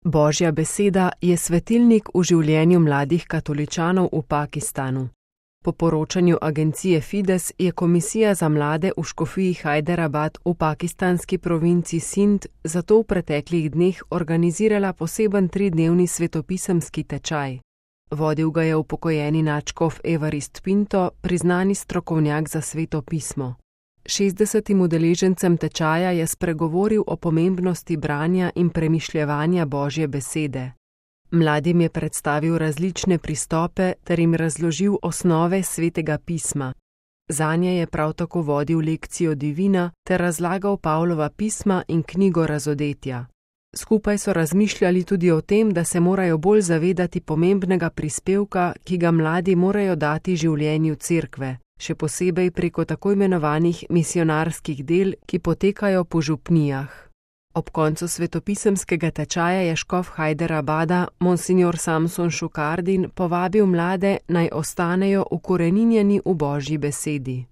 Božja beseda je svetilnik v življenju mladih katoličanov v Pakistanu. Po poročanju agencije Fides je Komisija za mlade v škofiji Hajderabad v pakistanski provinci Sind zato v preteklih dneh organizirala poseben 3-dnevni svetopisemski tečaj. Vodil ga je upokojeni nadškof Evarist Pinto, priznani strokovnjak za sveto pismo. 60 udeležencem tečaja je spregovoril o pomembnosti branja in premišljevanja Božje besede. Mladim je predstavil različne pristope ter jim razložil osnove svetega pisma. Zanje je prav tako vodil lekcijo divina ter razlagal Pavlova pisma in knjigo Razodetja. Skupaj so razmišljali tudi o tem, da se morajo bolj zavedati pomembnega prispevka, ki ga mladi morajo dati življenju cerkve, še posebej preko tako imenovanih misionarskih del, ki potekajo po župnijah. Ob koncu svetopisemskega tečaja je škof Hajderabada, monsignor Samson Šukardin, povabil mlade, naj ostanejo ukoreninjeni v Božji besedi.